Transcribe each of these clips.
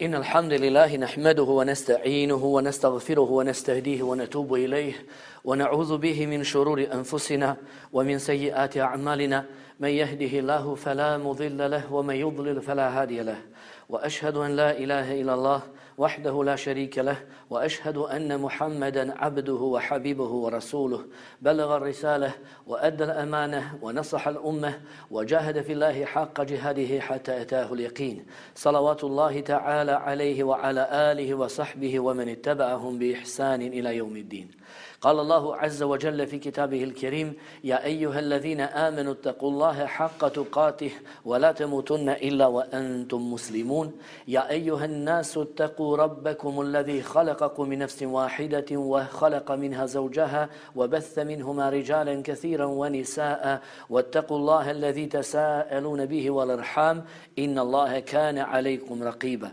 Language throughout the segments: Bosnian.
إن الحمد لله نحمده ونستعينه ونستغفره ونستهديه ونتوب إليه ونعوذ به من شرور أنفسنا ومن سيئات أعمالنا من يهده الله فلا مضل له ومن يضلل فلا هادي له وأشهد أن لا إله إلا الله وحده لا شريك له وأشهد أن محمدا عبده وحبيبه ورسوله بلغ الرسالة وأدى الأمانة ونصح الأمة وجاهد في الله حق جهاده حتى أتاه اليقين صلوات الله تعالى عليه وعلى آله وصحبه ومن اتبعهم بإحسان إلى يوم الدين. قال الله عز وجل في كتابه الكريم يا أيها الذين آمنوا اتقوا الله حق تقاته ولا تموتن إلا وأنتم مسلمون يا أيها الناس اتقوا ربكم الذي خلقكم من نفس واحدة وخلق منها زوجها وبث منهما رجالا كثيرا ونساء واتقوا الله الذي تساءلون به والأرحام إن الله كان عليكم رقيبا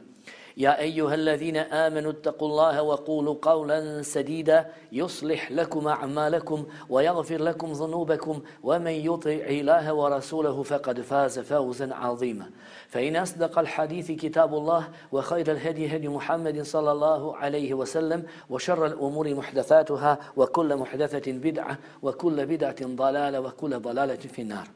يا أيها الذين آمنوا اتقوا الله وقولوا قولا سديدا يصلح لكم أعمالكم ويغفر لكم ذنوبكم ومن يطع الله ورسوله فقد فاز فوزا عظيما فإن أصدق الحديث كتاب الله وخير الهدي هدي محمد صلى الله عليه وسلم وشر الأمور محدثاتها وكل محدثة بدعة وكل بدعة ضلالة وكل ضلالة في النار.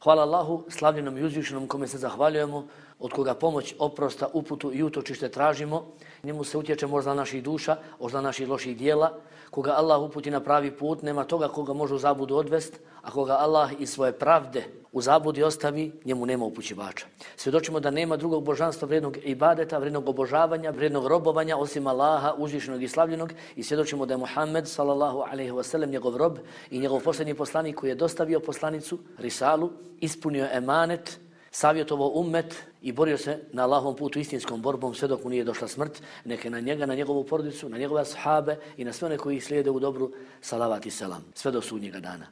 Hvala Allahu, slavljenom i uzvišenom kome se zahvaljujemo, od koga pomoć, oprosta, uputu i utočište tražimo. Njemu se utječe možda naših duša, možda naših loših dijela. Koga Allah uputi na pravi put, nema toga koga može u zabudu odvest, a koga Allah iz svoje pravde u zabudi ostavi, njemu nema upućivača. Svjedočimo da nema drugog božanstva vrijednog ibadeta, vrijednog obožavanja, vrijednog robovanja osim Allaha, uzvišenog i slavljenog, i svjedočimo da je Muhammed sallallahu alejhi ve sellem njegov rob i njegov posljednji poslanik koji je dostavio poslanicu, risalu, ispunio emanet, savjetovao ummet i borio se na Allahovom putu istinskom borbom sve dok mu nije došla smrt. Neka na njega, na njegovu porodicu, na njegove ashabe i na sve one koji ih slijede u dobru salavat i selam, sve do sudnjega dana.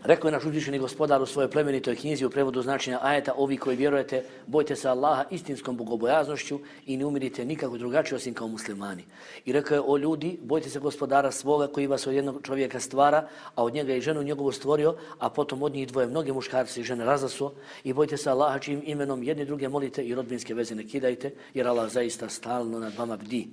Rekao je naš uzvišeni gospodar u svojoj plemenitoj knjizi u prevodu značenja ajeta: ovi koji vjerujete, bojte se Allaha istinskom bogobojaznošću i ne umirite nikako drugačije osim kao muslimani. I rekao je: o ljudi, bojte se gospodara svoga koji vas od jednog čovjeka stvara, a od njega i ženu njegovu stvorio, a potom od njih dvoje mnoge muškarci i žene razasuo. I bojte se Allaha čijim imenom jedni druge molite i rodbinske veze ne kidajte, jer Allah zaista stalno nad vama bdi.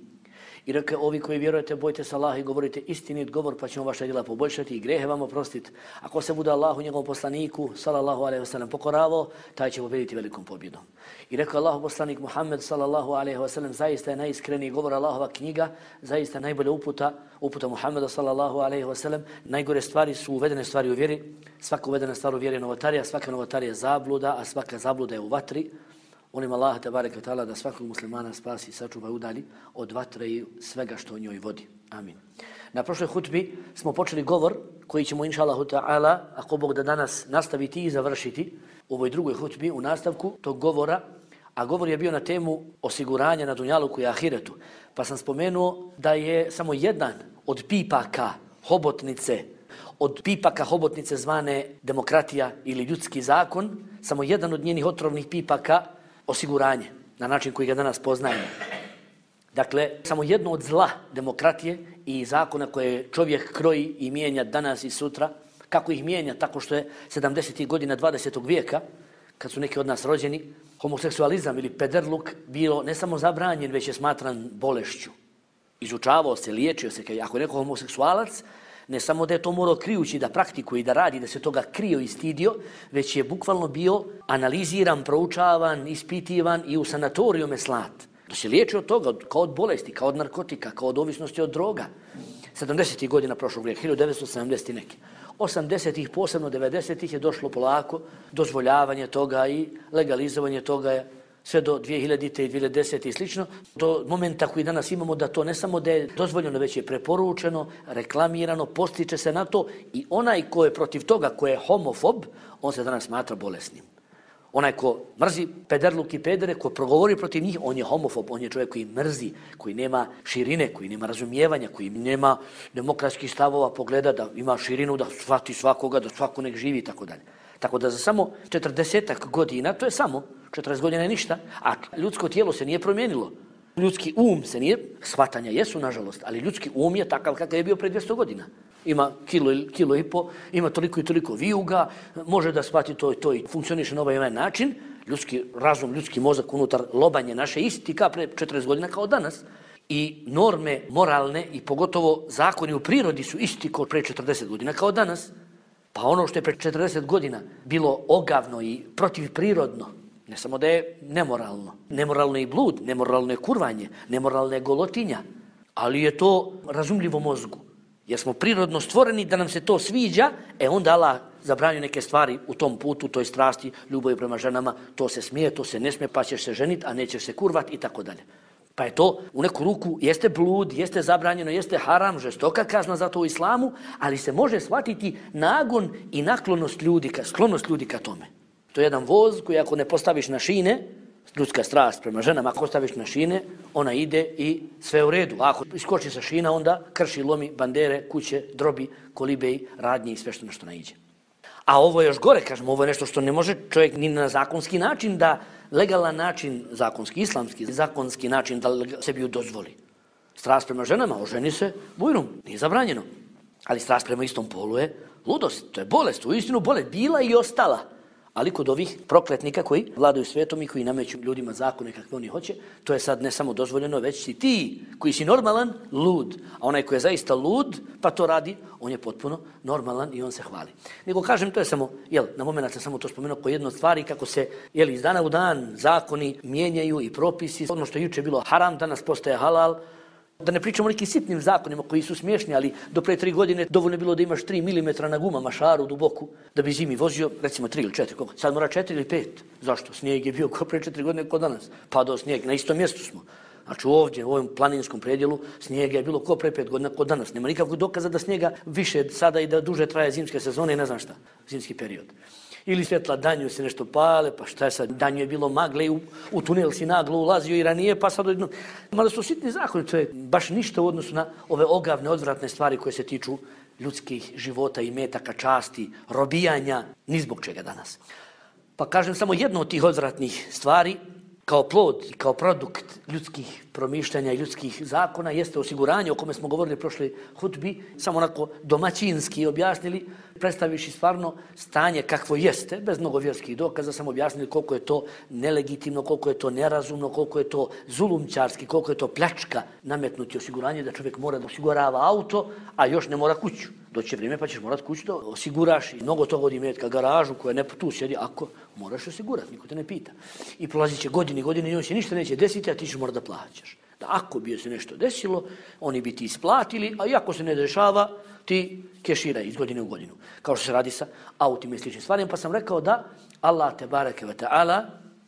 I rekao: ovi koji vjerujete, bojte se Allaha i govorite istinit govor, pa ćemo vaša djela poboljšati i grehe vam oprostiti. Ako se bude Allahu njegovom poslaniku sallallahu alejhi ve sellem pokoravao, taj će pobijediti velikom pobjedom. I rekao Allahu poslanik Muhammed sallallahu alejhi ve sellem: zaista je najiskreniji govor Allahova knjiga, zaista najbolja uputa Muhammeda sallallahu alejhi ve sellem. Najgore stvari su uvedene stvari u vjeri. Svaka uvedena stvar u vjeri je novotarija, svaka novotarija je zabluda, a svaka zabluda je u vatri. Molim Allaha tebareke ve taala da svakog muslimana spasi, sačuva i udalji od vatre i svega što o njoj vodi. Amin. Na prošloj hutbi smo počeli govor koji ćemo inšallahu ta'ala, ako Bog da danas nastaviti i završiti u ovoj drugoj hutbi u nastavku tog govora, a govor je bio na temu osiguranja na dunjaluku i ahiretu. Pa sam spomenuo da je samo jedan od pipaka hobotnice zvane demokratija ili ljudski zakon, samo jedan od njenih otrovnih pipaka osiguranje, na način koji ga danas poznajemo. Dakle, samo jedno od zla demokratije i zakona koje čovjek kroji i mijenja danas i sutra. Kako ih mijenja? Tako što je 70. godina 20. vijeka, kad su neki od nas rođeni, homoseksualizam ili pederluk bilo ne samo zabranjen, već je smatran bolešću. Izučavao se, liječio se. Ako je neko homoseksualac, ne samo da je to morao krijući da praktikuje i da radi, da se toga krio i stidio, već je bukvalno bio analiziran, proučavan, ispitivan i u sanatorijume slat. Da se liječi od toga, kao od bolesti, kao od narkotika, kao od ovisnosti od droga. 70. godina prošlog vijeka, 1970. neki. 80. posebno 90. je došlo polako dozvoljavanje toga i legalizovanje toga sve do 2000. i 2010. i slično, do momenta koji danas imamo da to ne samo da je dozvoljeno, već je preporučeno, reklamirano, postiče se na to i onaj ko je protiv toga, ko je homofob, on se danas smatra bolesnim. Onaj ko mrzi pederluk i pedere, ko progovori protiv njih, on je homofob, on je čovjek koji mrzi, koji nema širine, koji nema razumijevanja, koji nema demokratskih stavova, pogleda da ima širinu, da shvati svakoga, da svako nek živi i tako dalje. Tako da za samo 40 godina, to je samo 40 godina je ništa, a ljudsko tijelo se nije promijenilo. Ljudski se nije, shvatanja jesu nažalost, ali ljudski je takav kakav je bio pre 200 godina. Ima kilo i po, ima toliko i toliko vijuga, može da shvati to i funkcioniše na ovaj način. ljudski razum, ljudski mozak unutar lobanje naše isti kao pre 40 godina kao danas. I norme moralne i pogotovo zakoni u prirodi su isti kao pre 40 godina kao danas. Pa ono što je pre 40 godina bilo ogavno i protivprirodno, ne samo da je nemoralno. Nemoralno je i blud, nemoralno je kurvanje, nemoralno je golotinja. Ali je to razumljivo mozgu. Jer smo prirodno stvoreni da nam se to sviđa, onda Allah zabranio neke stvari u tom putu, toj strasti, ljubavi prema ženama, to se smije, to se ne smije, pa ćeš se ženiti, a nećeš se kurvat i tako dalje. Pa je to u neku ruku, jeste blud, jeste zabranjeno, jeste haram, žestoka kazna za to u islamu, ali se može shvatiti nagon i naklonost ljudi, sklonost ljudi ka tome. To je jedan voz koji ako ne postaviš na šine, ljudska strast prema ženama, ako staviš na šine, ona ide i sve u redu. A ako iskoči sa šina, onda krši, lomi bandere, kuće, drobi, kolibej, radnje i sve što nešto naiđe. A ovo je još gore, kažemo, ovo je nešto što ne može čovjek ni na zakonski način da, legalan način, zakonski, islamski, zakonski način da sebi ju dozvoli. Strast prema ženama, oženi se, bujrum, nije zabranjeno. Ali strast prema istom polu je ludost, to je bolest, uistinu bolest, bila i ostala. Ali kod ovih prokletnika koji vladaju svijetom i koji nameću ljudima zakone kakve oni hoće, to je sad ne samo dozvoljeno, već si ti koji si normalan, lud. A onaj koji je zaista lud, pa to radi, on je potpuno normalan i on se hvali. Nego kažem, to je samo, na moment sam samo to spomenuo kao jedno od stvari kako se, iz dana u dan zakoni mijenjaju i propisi. Ono što je juče bilo haram, danas postaje halal. Da ne pričamo o nekim sitnim zakonima koji su smiješni, ali do pre 3 godine dovoljno je bilo da imaš 3 mm na gumama, šaru duboku, da bi zimi vozio, recimo 3 ili 4, koliko? Sad mora 4 ili 5. Zašto? Snijeg je bio kao pre 4 godine kod danas. Padao snijeg, na istom mjestu smo. Znači ovdje, u ovom planinskom predjelu, snijega je bilo kao pre 5 godina kod danas. Nema nikakvog dokaza da snijega više sada i da duže traje zimske sezone i ne znam šta, zimski period. Ili svjetla danju se nešto pale, pa šta je sad, danju je bilo magle i u tunel si naglo ulazio i ranije, pa sad odjedno. Malo su sitni zakoni, to je baš ništa u odnosu na ove ogavne, odvratne stvari koje se tiču ljudskih života i metaka, časti, robijanja, ni zbog čega danas. Pa kažem samo jedno od tih odvratnih stvari, kao plod i kao produkt ljudskih promišljanja i ljudskih zakona jeste osiguranje o kome smo govorili prošle hutbi, samo onako domaćinski objasnili, predstaviši stvarno stanje kakvo jeste, bez mnogo vjerskih dokaza, samo objasnili koliko je to nelegitimno, koliko je to nerazumno, koliko je to zulumčarski, koliko je to pljačka nametnuti osiguranje da čovjek mora da osigurava auto, a još ne mora kuću. Doće vrijeme pa ćeš morat kuću da osiguraš i mnogo toga od imetka, garažu koja ne tu sjedi, ako moraš osigurati, niko te ne pita. I prolazit će godine i on se ništa neće desiti, a ti ćeš morat da plaćaš. Da ako bi se nešto desilo, oni bi ti isplatili, a i ako se ne dešava, ti keširaj iz godine u godinu. Kao što se radi sa autima i sličnim stvarima, pa sam rekao da Allah te bareke ve ta'ala,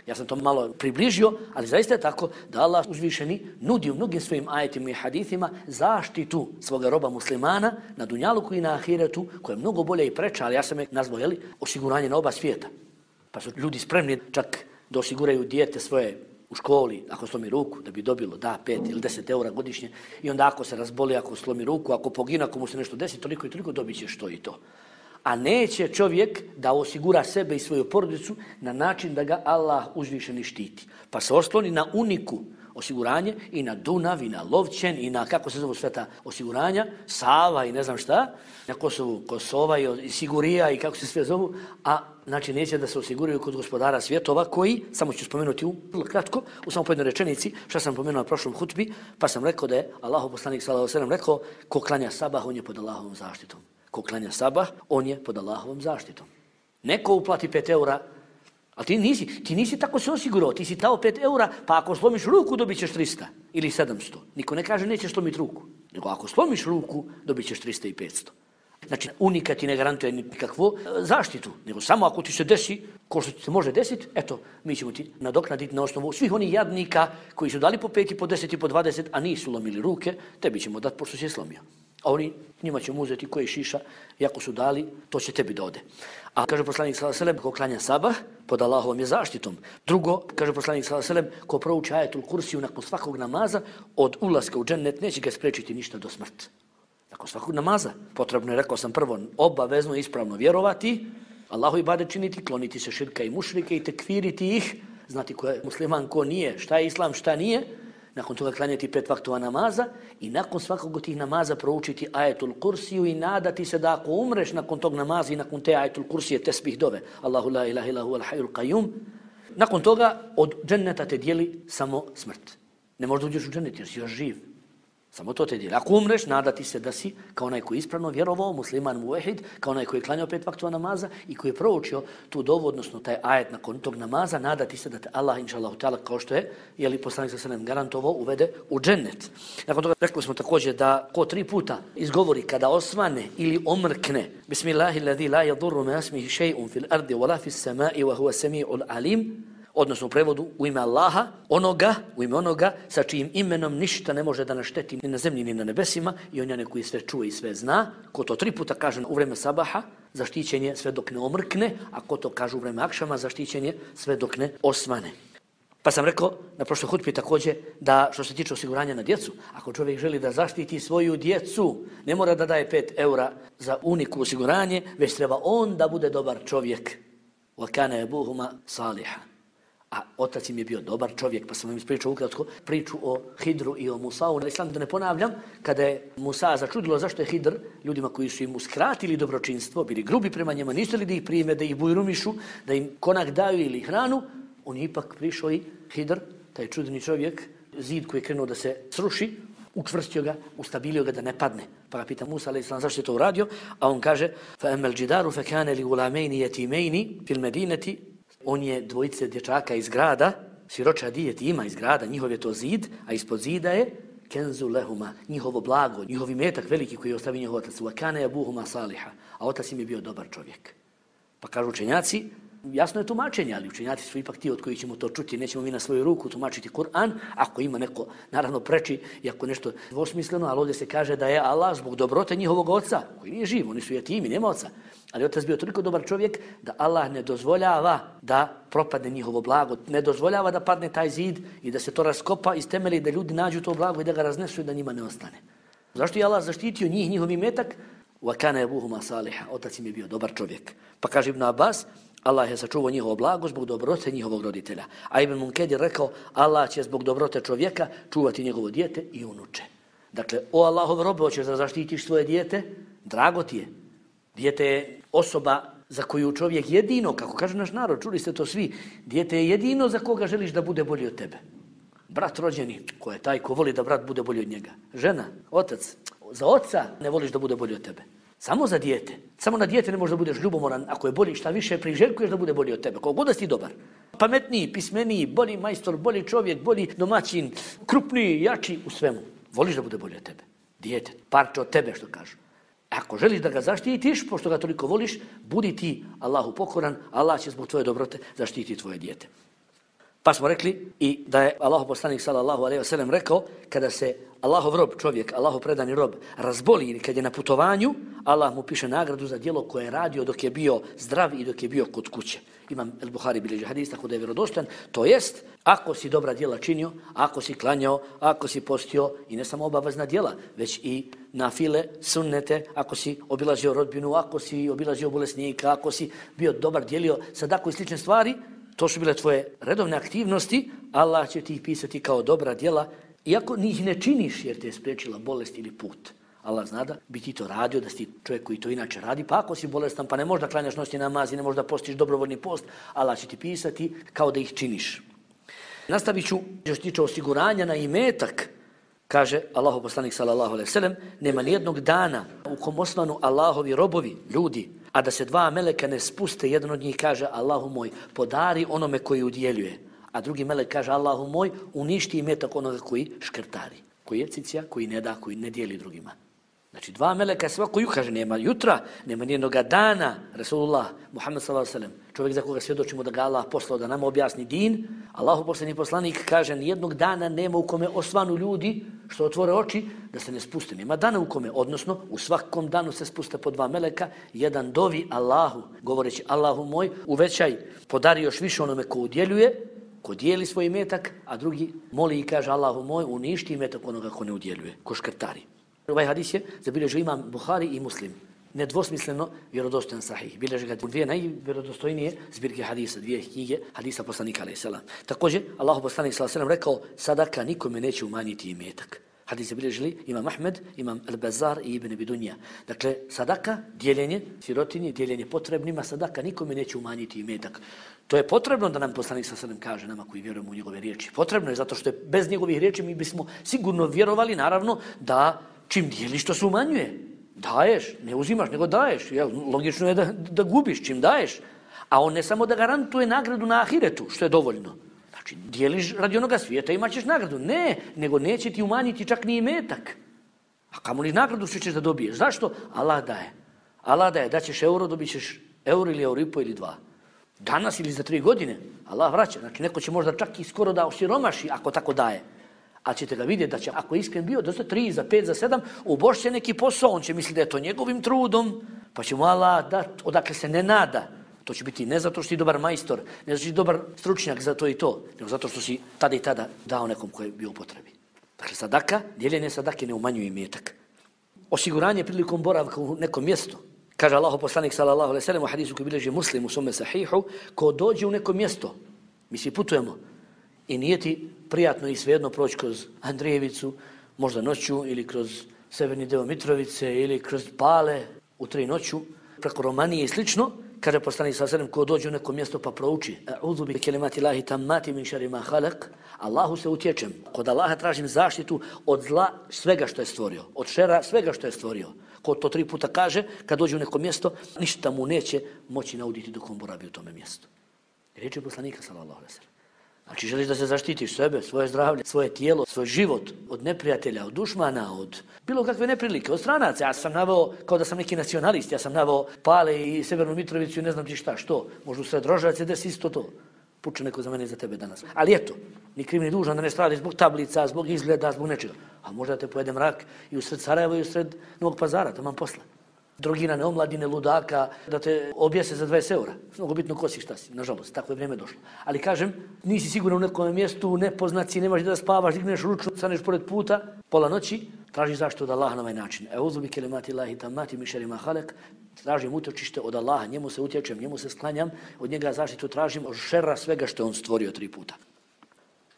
ja sam to malo približio, ali zaista je tako da Allah uzvišeni nudi u mnogim svojim ajetima i hadithima zaštitu svoga roba muslimana na dunjaluku i na ahiretu, koja je mnogo bolje i preča, ali ja sam je nazvao, osiguranje na oba svijeta. Pa su ljudi spremni čak da osiguraju dijete svoje u školi, ako slomi ruku, da bi dobilo 5 ili 10 eura godišnje, i onda ako se razboli, ako slomi ruku, ako pogine, ako mu se nešto desi, toliko i toliko dobit ćeš to i to. A neće čovjek da osigura sebe i svoju porodicu na način da ga Allah uzvišeni štiti. Pa se osloni na uniku osiguranje i na Dunav i na Lovćen i na, kako se zove sve ta osiguranja, Sava i ne znam šta, na Kosovu Kosova i Sigurija i kako se sve zovu, a znači neće da se osiguraju kod gospodara svjetova koji, samo ću spomenuti vrlo kratko, u samo jednoj rečenici, što sam pomenuo na prošlom hutbi, pa sam rekao da je Allahov poslanik sallallahu alejhi ve sellem rekao, ko klanja sabah, on je pod Allahovom zaštitom. Ko klanja sabah, on je pod Allahovom zaštitom. Neko uplati 5 eura, ali ti nisi tako se osigurao, ti si dao 5 eura, pa ako slomiš ruku dobit ćeš 300 ili 700. Niko ne kaže nećeš slomiti ruku, nego ako slomiš ruku dobit ćeš 300 i 500. Znači, unika ti ne garantuje nikakvu zaštitu, nego samo ako ti se desi, ko što ti se može desiti, eto, mi ćemo ti nadoknaditi na osnovu svih onih jadnika koji su dali po 5 i po 10 i po 20, a nisu lomili ruke, tebi ćemo dati pošto si je slomio. A oni, njima ćemo uzeti koji šiša, i ako su dali, to će tebi da ode. A kaže poslanik sallallahu alejhi ve sellem, ko klanja sabah, pod Allahovom je zaštitom. Drugo, kaže poslanik sallallahu alejhi ve sellem, ko prouči ajetul kursiju nakon svakog namaza, od ulaska u džennet neće ga spriječiti ništa do smrti. Nakon svakog namaza, potrebno je, rekao sam prvo, obavezno ispravno vjerovati, Allahu ibadet činiti, kloniti se širka i mušrike i tekfiriti ih, znati ko je musliman, ko nije, šta je islam, šta nije, nakon toga klanjati 5 vaktova namaza i nakon svakog od tih namaza proučiti ajetul kursiju i nadati se da ako umreš nakon tog namaza i nakon te ajetul kursije tesbih dove, Allahu la ilaha illa huwal hayyul qayyum, nakon toga od dženneta te dijeli samo smrt. Ne možda uđeš u džennet jer si još živ. Samo to te dijeli. Ako umreš, nadati se da si kao onaj koji je ispravno vjerovao, musliman muvehid, kao onaj koji je klanjao 5 vaktova namaza i koji je proučio tu dovu, odnosno taj ajet nakon tog namaza, nadati se da te Allah, inšallahu ta'ala, kao što je, jeli poslanik sallallahu alejhi ve sellem garantovao, uvede u džennet. Nakon toga rekli smo također da ko 3 puta izgovori kada osvane ili omrkne Bismillahilladzi la yadurru ma ismihi shay'un fil ardi wala fis sama'i wa huwa sami'ul alim, odnosno u prevodu u ime Allaha, u ime onoga sa čijim imenom ništa ne može da našteti ni na zemlji ni na nebesima i on je koji sve čuje i sve zna. Ko to 3 puta kaže u vreme sabaha, zaštićen je sve dok ne omrkne, a ko to kaže u vreme akšama, zaštićen je sve dok ne osvane. Pa sam rekao na prošloj hutbi također da što se tiče osiguranja na djecu, ako čovjek želi da zaštiti svoju djecu, ne mora da daje 5 eura za uniku osiguranje, već treba on da bude dobar čovjek. Wa kana abuhuma saliha. A otac im je bio dobar čovjek, pa sam vam ispričao ukratko priču o Hidru i o Musau. Islam da ne ponavljam, kada je Musa začudilo zašto je Hidr ljudima koji su im uskratili dobročinstvo, bili grubi prema njima, nisu li da ih prime, da ih bujrumišu, da im konak daju ili hranu, on je ipak prišao i Hidr, taj čudni čovjek, zid koji je krenuo da se sruši, učvrstio ga, ustabilio ga da ne padne. Pa ga pita Musa a.s. zašto je to uradio, a on kaže فَأَمَّا الْجِدَارُ فَكَانَ لِغُلَامَيْنِ يَتِيمَيْنِ فِي الْمَدِينَةِ. On je dvojice dječaka iz grada, siročadi jetima iz grada, njihov je to zid, a ispod zida je kenzu lehuma, njihovo blago, njihov imetak veliki koji je ostavio njihov otac. Wa kana abuhuma saliha, a otac im je bio dobar čovjek. Pa kažu učenjaci, jasno je tumačenje, ali učenjaci su ipak ti od kojih ćemo to čuti, nećemo mi na svoju ruku tumačiti Kur'an, ako ima neko, naravno preči, i ako nešto dvosmisleno, ali ovdje se kaže da je Allah zbog dobrote njihovog oca, koji nije živ, oni su jetimi, nema oca, ali otac bio toliko dobar čovjek da Allah ne dozvoljava da propadne njihovo blago, ne dozvoljava da padne taj zid i da se to raskopa iz temelji, da ljudi nađu to blago i da ga raznesu i da njima ne ostane. Zašto je Allah zaštitio njih, njihov imetak? Wa kana abuhuma saliha, otac im je bio dobar čovjek. Pa kaže Ibn Abbas, Allah je sačuvao njihovo blago zbog dobrote njihovog roditelja. A Ibn Munkedir rekao, Allah će zbog dobrote čovjeka čuvati njegovo dijete i unuče. Dakle, o Allahov robe, hoćeš da zaštitiš svoje dijete, drago ti je. Dijete je osoba za koju čovjek jedino, kako kaže naš narod, čuli ste to svi, dijete je jedino za koga želiš da bude bolji od tebe. Brat rođeni, ko je taj ko voli da brat bude bolji od njega. Žena, otac, za oca ne voliš da bude bolji od tebe. Samo za dijete. Samo na dijete ne možeš da budeš ljubomoran. Ako je bolji, šta više priželjkuješ da bude bolji od tebe. Koliko god da si dobar. Pametniji, pismeniji, bolji majstor, bolji čovjek, bolji domaćin, krupniji, jači u svemu. Voliš da bude bolji od tebe. Dijete, parče od tebe što kažu. Ako želiš da ga zaštitiš, pošto ga toliko voliš, budi ti Allahu pokoran, Allah će zbog tvoje dobrote zaštiti tvoje dijete. Pa smo rekli i da je Allahov poslanik sallallahu alejhi ve sellem rekao, kada se Allahov rob, čovjek, Allahov predani rob, razboli ili kad je na putovanju, Allah mu piše nagradu za djelo koje je radio dok je bio zdrav i dok je bio kod kuće. Imam el-Buhari bilježi hadis, tako da je vjerodostojan. To jest, ako si dobra djela činio, ako si klanjao, ako si postio, i ne samo obavezna djela, već i nafile, sunnete, ako si obilazio rodbinu, ako si obilazio bolesnika, ako si bio dobar, dijelio sadaku i slične stvari, to su bile tvoje redovne aktivnosti, Allah će ti ih pisati kao dobra djela, iako njih ne činiš jer te je spriječila bolest ili put. Allah zna da bi ti to radio, da si čovjek koji to inače radi, pa ako si bolestan, pa ne možda klanjaš noćni namaz i ne možda postiš dobrovoljni post, Allah će ti pisati kao da ih činiš. Nastavit ću, što se tiče osiguranja na imetak, kaže Allahov poslanik sallallahu alejhi ve sellem, nema nijednog dana u kom osvanu Allahovi robovi, ljudi, a da se 2 meleka ne spuste, jedan od njih kaže Allahu moj, podari onome koji udjeljuje, a drugi melek kaže Allahu moj, uništi imetak onoga koji škrtari, koji je cicija, koji ne da, koji ne dijeli drugima. Znači 2 meleka svako kaže, nema jutra, nema nijednog dana, Rasulullah, Muhammed sallallahu alejhi ve sellem, čovjek za koga svjedočimo da ga Allah poslao da nama objasni din, Allahu posljednji poslanik kaže, nijednog dana nema u kome osvanu ljudi što otvore oči da se ne spuste. Nema dana u kome, odnosno u svakom danu se spuste po 2 meleka, jedan dovi Allahu, govoreći Allahu moj, uvećaj, podari još više onome ko udjeljuje, ko dijeli svoj imetak, a drugi moli i kaže Allahu moj, uništi imetak onoga ko ne udjeljuje, ko škrtari. Ovaj hadis je zabilježio imam Buhari i Muslim. Nedvosmisleno vjerodostojan sahih. Bilježi ga 2 najvjerodostojnije zbirke hadisa, 2 knjige hadisa poslanika alejhi selam. Također Allahov poslanik sallallahu alejhi ve sellem rekao, sadaka nikome neće umanjiti imetak. Hadis je bilježili imam Ahmed, imam Al-Bazar i Ibn Abi Dunja. Dakle, sadaka, dijeljenje sirotinji, dijeljenje potrebnima, sadaka nikome neće umanjiti imetak. To je potrebno da nam poslanik sallallahu alejhi ve sellem kaže nama koji vjerujemo u njegove riječi. Potrebno je zato što je bez njegovih riječi mi bismo sigurno vjerovali naravno da čim dijeliš to se umanjuje. Daješ, ne uzimaš nego daješ. Jel? Logično je da gubiš čim daješ. A on ne samo da garantuje nagradu na ahiretu, što je dovoljno. Znači, dijeliš radi onoga svijeta, imat ćeš nagradu. Ne, nego neće ti umanjiti čak ni imetak. A kamoli nagradu što ćeš da dobiješ. Zašto? Allah daje. Allah daje, daćeš euro, dobit ćeš euro ili euro i po ili 2. Danas ili za 3 godine. Allah vraća. Znači, neko će možda čak i skoro da osiromaši ako tako daje. A ćete ga vidjeti da će, ako je iskren bio, dosta 3, za 5, za 7, ubošće neki posao, on će misliti da je to njegovim trudom, pa će mu Allah dati odakle se ne nada. To će biti ne zato što si dobar majstor, ne zato što si dobar stručnjak za to i to, nego zato što si tada i tada dao nekom koji je bio u potrebi. Dakle, sadaka, dijeljenje sadake ne umanjuje imetak. Osiguranje prilikom boravka u nekom mjestu. Kaže Allahu poslanik sallallahu alejhi ve sellem u hadisu koji bilježi Muslim u svome sahihu, ko dođe u neko mjesto, mi svi putujemo, i nije ti prijatno i svejedno proći kroz Andrijevicu, možda noću, ili kroz severni deo Mitrovice, ili kroz Pale u 3 noću, preko Romanije i slično, kaže poslanik sallallahu alejhi ve sellem, ko dođe u neko mjesto pa prouči a'udhu bi kelimati Allahi tammati min sharri ma khalaq, Allahu se utječem, kod Allaha tražim zaštitu od zla svega što je stvorio, od šera svega što je stvorio. Ko to 3 puta kaže, kad dođe u neko mjesto, ništa mu neće moći nauditi dok on boravi u tome mjestu. Riječi poslanika sallallahu alejhi ve sellem. Znači, želiš da se zaštitiš sebe, svoje zdravlje, svoje tijelo, svoj život od neprijatelja, od dušmana, od bilo kakve neprilike, od stranaca. Ja sam naveo, kao da sam neki nacionalist, ja sam naveo Pale i Severnu Mitrovicu i ne znam ti šta, što. Možda u sred Rožac je desi isto to. Puče neko za mene i za tebe danas. Ali eto, ni kriv ni dužan da ne stradi zbog tablica, zbog izgleda, zbog nečega. A možda te pojede mrak i u sred Sarajeva i u sred Novog Pazara, taman posla. Drogirane omladine, ludaka, da te objese za 20 eura. Mnogo bitno ko si, šta si. Nažalost, tako je vrijeme došlo. Ali kažem, nisi siguran u nekom mjestu, nepoznaci, nemaš da spavaš, digneš ručnu, staneš pored puta, pola noći, traži zaštitu od Allaha na ovaj način. E'udhu bi kelimati Allahi tammati min sharri ma khalaq. Tražim utočište od Allaha, njemu se utječem, njemu se sklanjam, od njega zaštitu tražim od šera svega što je on stvorio 3 puta.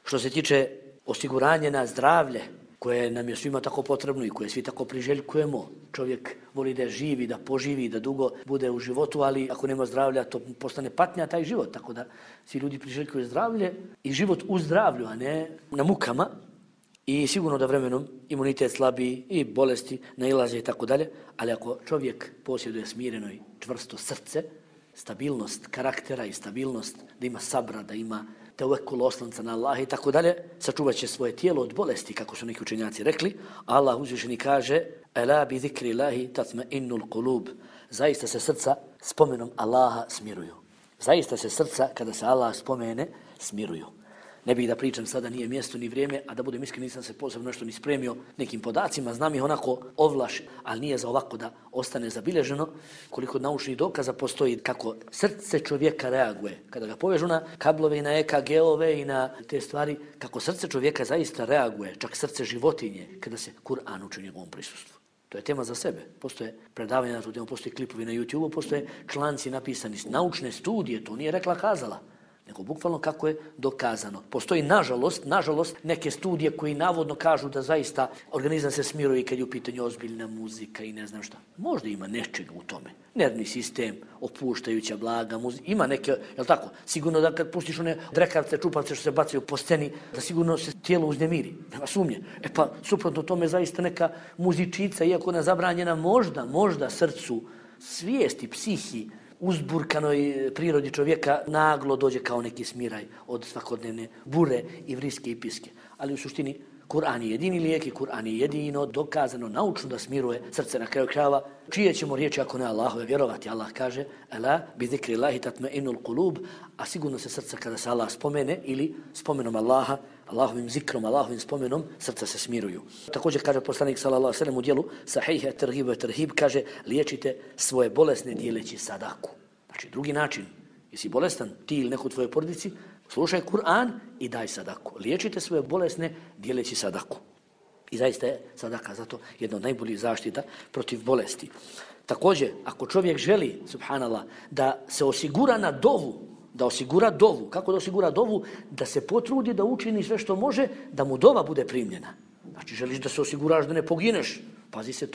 Što se tiče osiguranja na zdravlje, koje nam je svima tako potrebno i koje svi tako priželjkujemo. Čovjek voli da živi, da poživi, da dugo bude u životu, ali ako nema zdravlja, to postane patnja taj život. Tako da svi ljudi priželjkuju zdravlje i život u zdravlju, a ne na mukama. I sigurno da vremenom imunitet slabi i bolesti nailaze i tako dalje. Ali ako čovjek posjeduje smireno i čvrsto srce, stabilnost karaktera i stabilnost, da ima sabra, da ima tevekul oslanca na Allaha i tako dalje, sačuvat će svoje tijelo od bolesti, kako su neki učenjaci rekli. Allah uzvišeni kaže: "Ela bi zikri Allahi tatma'innul qulub." Zaista se srca spomenom Allaha smiruju. Zaista se srca kada se Allah spomene smiruju. Ne bih da pričam sada, nije mjesto ni vrijeme, a da budem iskren, nisam se posebno nešto ni spremio nekim podacima, znam ih onako ovlaš, ali nije za ovako da ostane zabilježeno. Koliko naučnih dokaza postoji kako srce čovjeka reaguje. Kada ga povežu na kablove i na EKG-ove i na te stvari, kako srce čovjeka zaista reaguje, čak srce životinje, kada se Kur'an uči u njegovom prisustvu. To je tema za sebe. Postoje predavanja na tu temu, postoje klipovi na YouTube-u, postoje članci napisani, naučne studije, to nije rekla kazala, nego bukvalno kako je dokazano. Postoji, nažalost, neke studije koji navodno kažu da zaista organizam se smiruje kad je u pitanju ozbiljna muzika i ne znam šta. Možda ima nečega u tome. Nervni sistem, opuštajuća, blaga muzika, ima neke, jel tako? Sigurno da kad pustiš one drekavce, čupavce što se bacaju po sceni, da sigurno se tijelo uznemiri. Nema sumnje. E pa, suprotno tome zaista neka muzičica, iako ona zabranjena, možda srcu, svijesti, psihi, uzburkanoj prirodi čovjeka naglo dođe kao neki smiraj od svakodnevne bure i vriske i piske. Ali u suštini Kur'an je jedini lijek i Kur'an je jedino dokazano naučno da smiruje srce na kraju krajeva. Čije ćemo riječi ako ne Allahove vjerovati? Allah kaže: "Ela bi zikri Allahi tatma'innul qulub", a sigurno se srca kada se Allah spomene ili spomenom Allaha, Allahovim zikrom, Allahovim spomenom, srca se smiruju. Također kaže poslanik sallallahu alejhi ve sellem u djelu Sahih at-Targhib wa at-Tarhib, kaže: "Liječite svoje bolesne dijeleći sadaku." Znači, drugi način. Jesi bolestan, ti ili neko u tvojoj porodici, slušaj Kur'an i daj sadaku. Liječite svoje bolesne dijeleći sadaku. I zaista je sadaka zato jedna od najboljih zaštita protiv bolesti. Također, ako čovjek želi, subhanallah, da se osigura na dovu, da osigura dovu, kako da osigura dovu? Da se potrudi da učini sve što može, da mu dova bude primljena. Znači, želiš da se osiguraš da ne pogineš, pazi se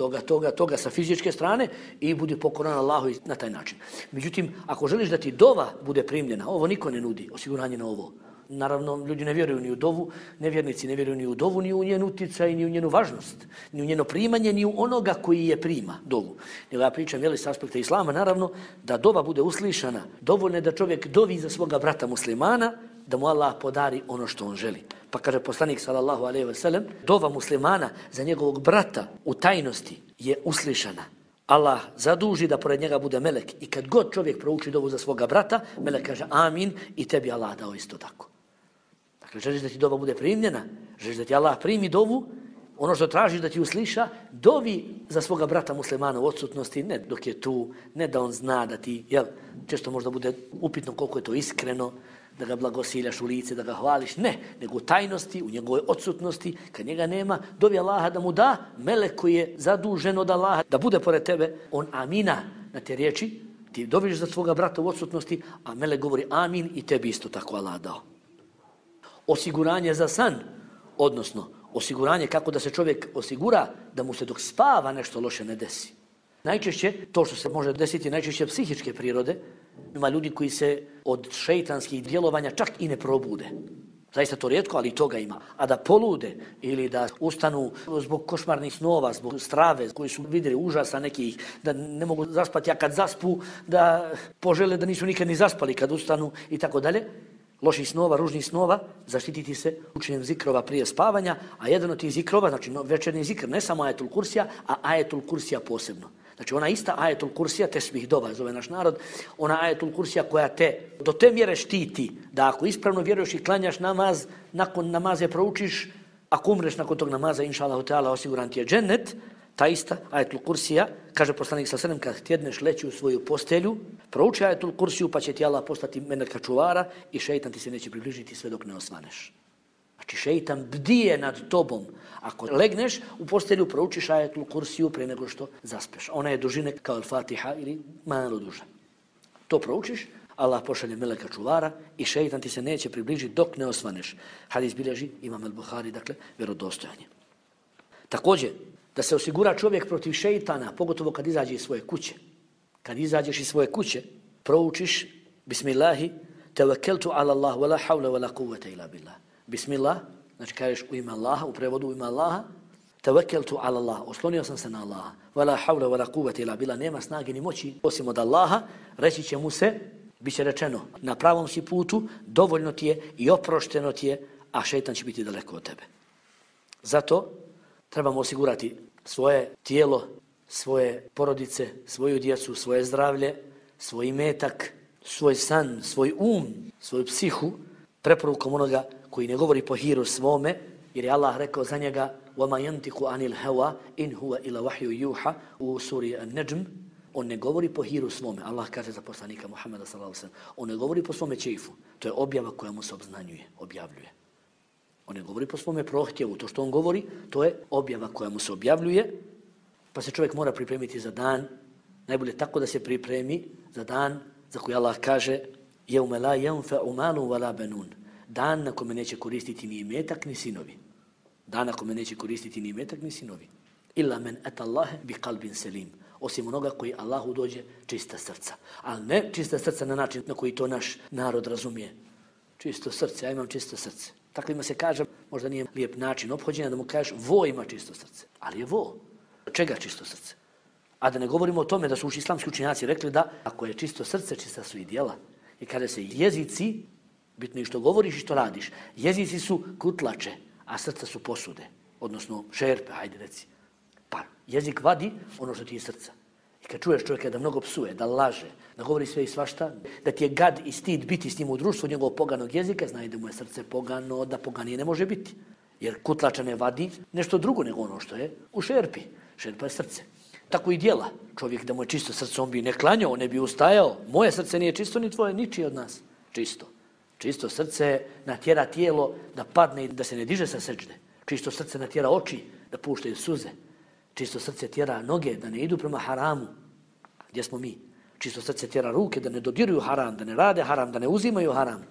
toga sa fizičke strane i budi pokoran Allahu na taj način. Međutim, ako želiš da ti dova bude primljena, ovo niko ne nudi, osiguranje na ovo. Naravno, ljudi ne vjeruju ni u dovu, nevjernici ne vjeruju ni u dovu, ni u njenu utjecaj, ni u njenu važnost, ni u njeno primanje, ni u onoga koji je prima dovu. Nego ja pričam, s aspekta islama, naravno, da dova bude uslišana. Dovoljno je da čovjek dovi za svoga brata muslimana, da mu Allah podari ono što on želi. Pa kaže poslanik sallallahu alejhi ve sellem, dova muslimana za njegovog brata u tajnosti je uslišana. Allah zaduži da pored njega bude melek i kad god čovjek prouči dovu za svoga brata, melek kaže amin i tebi Allah dao isto tako. Dakle, želiš da ti dova bude primljena, želiš da ti Allah primi dovu, ono što tražiš da ti usliša, dovi za svoga brata muslimana u odsutnosti, ne dok je tu, ne da on zna da ti, često možda bude upitno koliko je to iskreno, da ga blagosiljaš u lice, da ga hvališ, ne, nego u tajnosti, u njegovoj odsutnosti, kad njega nema, dovi Allaha da mu da, melek koji je zadužen od Allaha, da bude pored tebe, on amina na te riječi, ti doviš za svoga brata u odsutnosti, a melek govori amin i tebi isto tako Allah dao. Osiguranje za san, odnosno osiguranje kako da se čovjek osigura da mu se dok spava nešto loše ne desi. Najčešće, to što se može desiti, najčešće psihičke prirode, ima ljudi koji se od šejtanskih djelovanja čak i ne probude. Zaista to rijetko, ali i toga ima. A da polude ili da ustanu zbog košmarnih snova, zbog strave koji su vidjeli užasa nekih, da ne mogu zaspati, a kad zaspu da požele da nisu nikad ni zaspali kad ustanu i tako dalje. Loših snova, ružnih snova, zaštititi se učenjem zikrova prije spavanja, a jedan od tih zikrova, znači večernji zikr, ne samo ajetul kursija, a ajetul kursija posebno. Znači ona ista ajetul kursija, tesbih dova, zove naš narod, ona ajetul kursija koja te do te mjere štiti da ako ispravno vjeruješ i klanjaš namaz, nakon namaze proučiš, ako umreš nakon tog namaza, inša Allahu Teala, osiguran ti je džennet, ta ista ajetul kursija, kaže poslanik sallallahu alejhi ve sellem, kad tjedneš leći u svoju postelju, prouči ajetul kursiju pa će ti Allah postati meleka čuvara i šejtan ti se neće približiti sve dok ne osvaneš. Znači šejtan bdije nad tobom. Ako legneš u postelju, proučiš ajetul kursiju pre nego što zaspeš. Ona je dužine kao al-Fatiha ili malo duža. To proučiš, Allah pošalje meleka čuvara i šejtan ti se neće približiti dok ne osvaneš. Hadis bilježi Imam al-Buhari, dakle, vjerodostojanje. Također, da se osigura čovjek protiv šejtana, pogotovo kad izađe iz svoje kuće. Kad izađeš iz svoje kuće, proučiš Bismillahi, tevekkeltu ala Allah, wa la hawla wa la quwwata illa billah. Bismillah, znači kažeš u ime Allaha, u prevodu u ime Allaha, tevekkeltu ala Allah, oslonio sam se na Allaha, wa la hawla wa la quwwata illa billah, nema snage ni moći osim od Allaha, reći će mu se, bit će rečeno, na pravom si putu, dovoljno ti je i oprošteno ti je, a šejtan će biti daleko od tebe. Zato trebamo osigurati svoje tijelo, svoje porodice, svoju djecu, svoje zdravlje, svoj imetak, svoj san, svoj svoju psihu, preporukom onoga koji ne govori po hiru svome, jer je Allah rekao za njega وَمَا يَنْتِقُ عَنِ الْهَوَا إِنْ هُوَ إِلَا وَحْيُ يُوحَ u suri An-Najm. On ne govori po hiru svome. Allah kaže za poslanika Muhammeda sallallahu alejhi ve sellem, on ne govori po svome čeifu. To je objava koja mu se obznanjuje, objavljuje. On ne govori po svome prohtjevu. To što on govori, to je objava koja mu se objavljuje, pa se čovjek mora pripremiti za dan. Najbolje tako da se pripremi za dan za koji Allah kaže يَوْمَ لَا يَنْفَعُ مَالٌ وَلَا بَنُونَ. Dan na kome neće koristiti ni imetak ni sinovi. Dan na kome neće koristiti ni imetak ni sinovi. Illa men ata Allahe bi qalbin selim. Osim onoga koji Allahu dođe čista srca. Ali ne čista srca na način na koji to naš narod razumije. Čisto srce, ja imam čisto srce. Takvima se kaže, možda nije lijep način ophođenja da mu kažeš vo ima čisto srce. Ali je vo. Čega čisto srce? A da ne govorimo o tome da su islamski učenjaci rekli da ako je čisto srce, čista su i djela. I kada se jezici, bitno je što govoriš i što radiš, jezici su kutlače, a srca su posude, odnosno šerpe, hajde reci. Pa jezik vadi ono što ti je srca. I kad čuješ čovjeka da mnogo psuje, da laže, da govori sve i svašta, da ti je gad i stid biti s njim u društvu njegovog poganog jezika, znaj da mu je srce pogano, da poganije ne može biti. Jer kutlača ne vadi nešto drugo nego ono što je u šerpi. Šerpa je srce. Tako i djela. Čovjek da mu je čisto srce, on bi ne klanjao, ne bi ustajao. Moje srce nije čisto, ni tvoje, ničije od nas. Čisto. Čisto srce natjera tijelo da padne i da se ne diže sa seđde. Čisto srce natjera oči da puštaju suze. Čisto srce tjera noge da ne idu prema haramu. Gdje smo mi? Čisto srce tjera ruke da ne dodiruju haram, da ne rade haram, da ne uzimaju haram.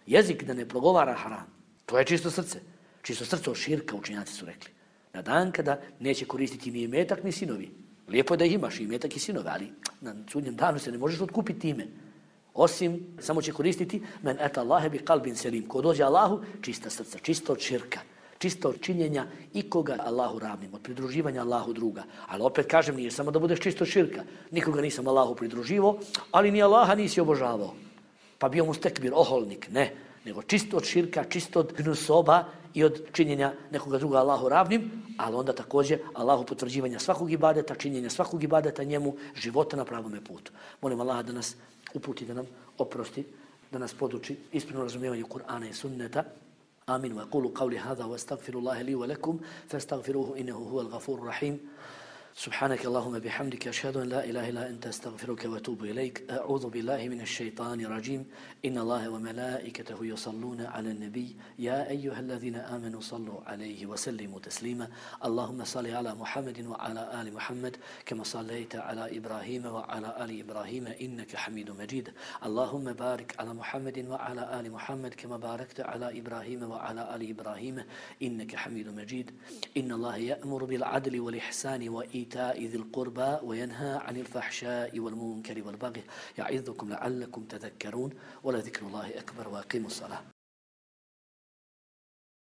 Jezik da ne progovara haram. To je čisto srce. Čisto srce od širka, učenjaci su rekli. Na dan kada neće koristiti ni imetak ni sinovi. Lijepo je da imaš i imetak i sinove, ali na sudnjem danu se ne možeš otkupiti time. Osim, samo će koristiti men eta Allahe bi kalbin selim. Ko dođe Allahu, čista srca, čisto od širka, čisto od činjenja ikoga Allahu ravnim, od pridruživanja Allahu druga. Ali opet kažem, nije samo da budeš čisto od širka. Nikoga nisam Allahu pridruživo, ali ni Allaha nisi obožavao. Pa bio mu stekbir, oholnik, ne. Nego čisto od širka, čisto od gnusoba i od činjenja nekoga druga Allahu ravnim, ali onda također Allahu potvrđivanja svakog ibadeta, činjenja svakog ibadeta njemu, života na pravome putu. Molim Allaha da nas uputi, da nam oprosti, da nas poduči ispravno razumijevanju Kur'ana i sunneta. Amin. Wa qulu qawli hadha wa astaghfirullaha li wa lakum fastaghfiruhu innahu huwal ghafurur rahim. سبحانك اللهم بحمدك أشهد أن لا إله إلا أنت أستغفرك وأتوب إليك أعوذ بالله من الشيطان الرجيم إن الله وملائكته يصلون على النبي يا أيها الذين آمنوا صلوا عليه وسلموا تسليما اللهم صل على محمد وعلى آل محمد كما صليت على إبراهيم وعلى آل إبراهيم إنك حميد مجيد اللهم بارك على محمد وعلى آل محمد كما باركت على إبراهيم وعلى آل إبراهيم إنك حميد مجيد إن الله يأمر بالعدل والإحسان وإيتاء ذي القربى وينهى عن الفحشاء والمنكر والبغي يعظكم لعلكم تذكرون ولذكر الله أكبر وأقيموا الصلاة